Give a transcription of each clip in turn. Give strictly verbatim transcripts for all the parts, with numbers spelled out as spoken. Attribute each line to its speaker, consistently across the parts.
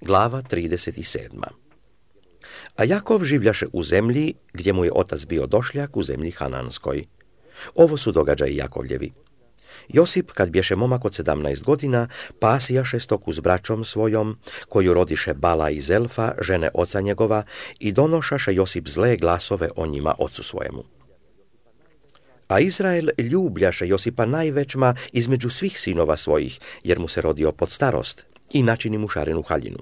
Speaker 1: Glava trideset sedma. A Jakov življaše u zemlji gdje mu je otac bio došljak, u zemlji Hananskoj. Ovo su događaji Jakovljevi. Josip, kad bješe momak od sedamnaest godina, pasijaše stoku s braćom svojom, koju rodiše Bala i Zelfa, žene oca njegova, i donošaše Josip zle glasove o njima ocu svojemu. A Izrael ljubljaše Josipa najvećma između svih sinova svojih, jer mu se rodio pod starost, i načini mu šarenu haljinu.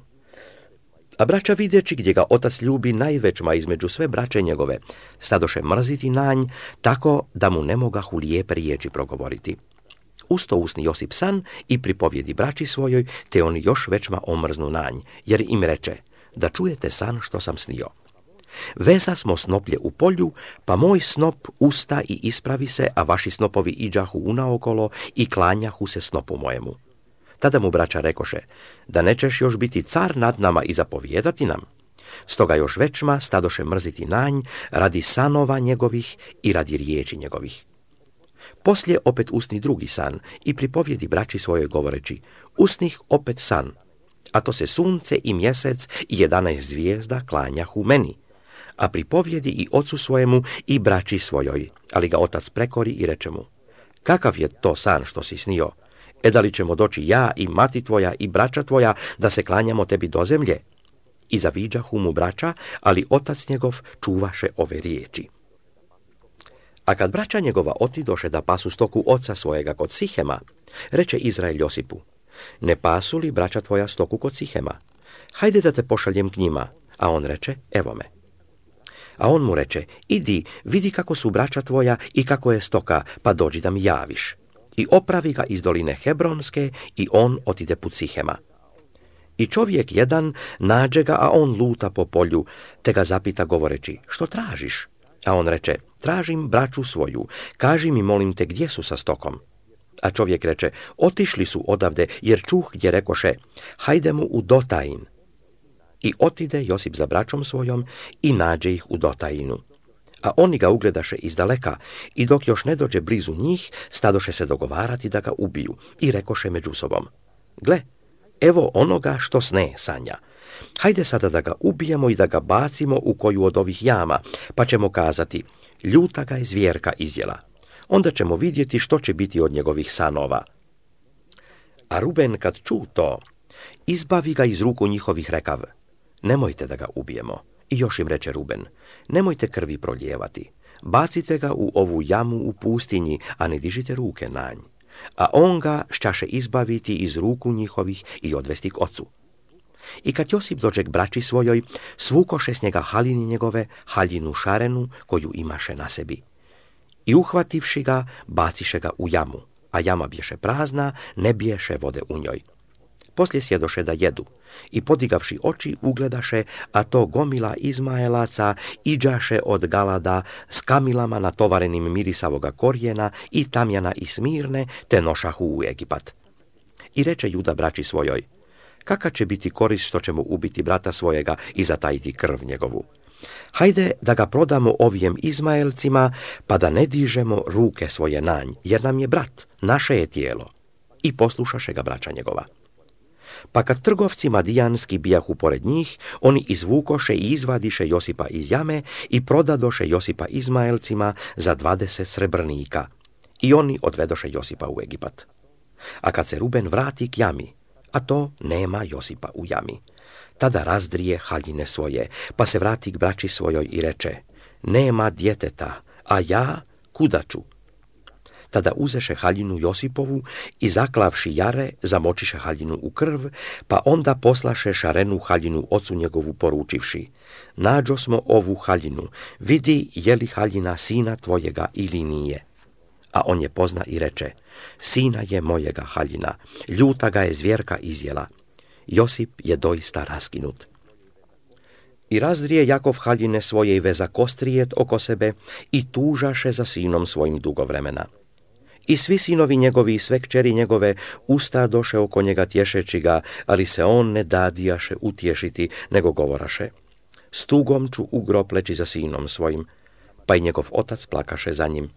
Speaker 1: A braća vidjeći gdje ga otac ljubi najvećma između sve braće njegove, stadoše mrziti nanj, tako da mu ne mogahu lijepe riječi progovoriti. Usto usni Josip san i pripovjedi braći svojoj, te oni još većma omrznu nanj, jer im reče, da čujete san što sam snio. Veza smo snoplje u polju, pa moj snop usta i ispravi se, a vaši snopovi iđahu unaokolo i klanjahu se snopu mojemu. Tada mu braća rekoše, da nećeš još biti car nad nama i zapovijedati nam. Stoga još većma stadoše mrziti nanj radi sanova njegovih i radi riječi njegovih. Poslije opet usni drugi san i pripovjedi braći svojoj govoreći, usnih opet san, a to se sunce i mjesec i jedanaest zvijezda klanjahu meni. A pripovjedi i ocu svojemu i braći svojoj, ali ga otac prekori i reče mu, kakav je to san što si snio? E da li ćemo doći ja i mati tvoja i braća tvoja da se klanjamo tebi do zemlje? I zaviđahu mu braća, ali otac njegov čuvaše ove riječi. A kad braća njegova otidoše da pasu stoku oca svojega kod Sihema, reče Izrael Josipu, ne pasu li braća tvoja stoku kod Sihema? Hajde da te pošaljem k njima. A on reče, evo me. A on mu reče, idi, vidi kako su braća tvoja i kako je stoka, pa dođi da mi javiš. I opravi ga iz doline Hebronske i on otide put Sihema. I čovjek jedan nađe ga, a on luta po polju, te ga zapita govoreći, što tražiš? A on reče, tražim braću svoju, kaži mi molim te gdje su sa stokom. A čovjek reče, otišli su odavde, jer čuh gdje rekoše, hajde mu u Dotajin. I otide Josip za braćom svojom i nađe ih u Dotajinu. A oni ga ugledaše izdaleka i dok još ne dođe blizu njih, stadoše se dogovarati da ga ubiju i rekoše među sobom, gle, evo onoga što sne sanja. Hajde sada da ga ubijemo i da ga bacimo u koju od ovih jama, pa ćemo kazati, ljuta ga je zvjerka izjela. Onda ćemo vidjeti što će biti od njegovih sanova. A Ruben kad ču to, izbavi ga iz ruku njihovih rekav, nemojte da ga ubijemo. I još im reče Ruben, nemojte krvi prolijevati, bacite ga u ovu jamu u pustinji, a ne dižite ruke na nj. A on ga šćaše izbaviti iz ruku njihovih i odvesti k ocu. I kad Josip dođe k braći svojoj, svukoše s njega haljini njegove, haljinu šarenu koju imaše na sebi. I uhvativši ga, baciše ga u jamu, a jama bješe prazna, ne biješe vode u njoj. Poslije sjedoše da jedu i podigavši oči ugledaše, a to gomila Izmaelaca iđaše od Galada s kamilama natovarenim mirisavoga korijena i tamjana i smirne, te nošahu u Egipat. I reče Juda braći svojoj, kaka će biti korist što ćemo ubiti brata svojega i zatajiti krv njegovu? Hajde da ga prodamo ovijem Izmaelcima, pa da ne dižemo ruke svoje na nj, jer nam je brat, naše je tijelo. I poslušaše ga braća njegova. Pa kad trgovci madijanski bijahu pored njih, oni izvukoše i izvadiše Josipa iz jame i prodadoše Josipa Izmaelcima za dvadeset srebrnika. I oni odvedoše Josipa u Egipat. A kad se Ruben vrati k jami, a to nema Josipa u jami, tada razdrije haljine svoje, pa se vrati k braći svojoj i reče, nema djeteta, a ja kuda ću? Tada uzeše haljinu Josipovu i zaklavši jare, zamočiše haljinu u krv, pa onda poslaše šarenu haljinu ocu njegovu poručivši, nađo smo ovu haljinu, vidi je li haljina sina tvojega ili nije. A on je pozna i reče, sina je mojega haljina, ljuta ga je zvjerka izjela. Josip je doista raskinut. I razdrije Jakov haljine svoje i veza kostrijet oko sebe i tužaše za sinom svojim dugo vremena. I svi sinovi njegovi i sve kćeri njegove ustadoše oko njega tješeći ga, ali se on ne dadijaše utješiti, nego govoraše, s tugom ću u grob leći za sinom svojim, pa i njegov otac plakaše za njim.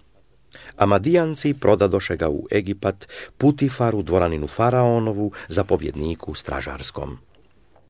Speaker 1: A Madijanci prodadoše ga u Egipat, Putifaru, dvoraninu Faraonovu, zapovjedniku stražarskom.